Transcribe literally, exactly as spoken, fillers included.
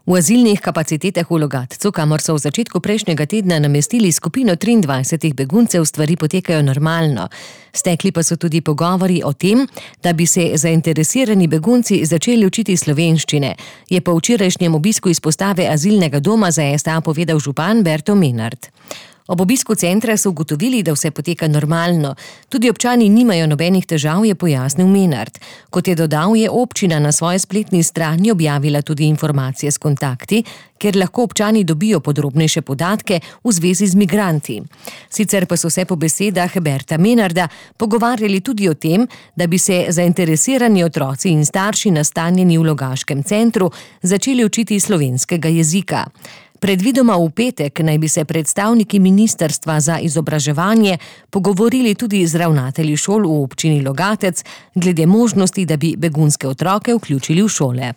V azilnih kapacitetah v Logatcu, kamor so v začetku prejšnjega tedna namestili skupino triindvajsetih beguncev, stvari potekajo normalno. Stekli pa so tudi pogovori o tem, da bi se zainteresirani begunci začeli učiti slovenščine, je po včerajšnjem obisku izpostave azilnega doma za S T A povedal župan Berto Menard. Ob obisku centra so ugotovili, da vse poteka normalno. Tudi občani nimajo nobenih težav, je pojasnil Menard. Kot je dodal, je občina na svoji spletni strani objavila tudi informacije s kontakti, kjer lahko občani dobijo podrobnejše podatke v zvezi z migranti. Sicer pa so se po besedah Berta Menarda pogovarjali tudi o tem, da bi se zainteresirani otroci in starši nastanjeni v Logaškem centru začeli učiti slovenskega jezika. Predvidoma v petek naj bi se predstavniki Ministrstva za izobraževanje pogovorili tudi z ravnatelji šol v občini Logatec glede možnosti, da bi begunske otroke vključili v šole.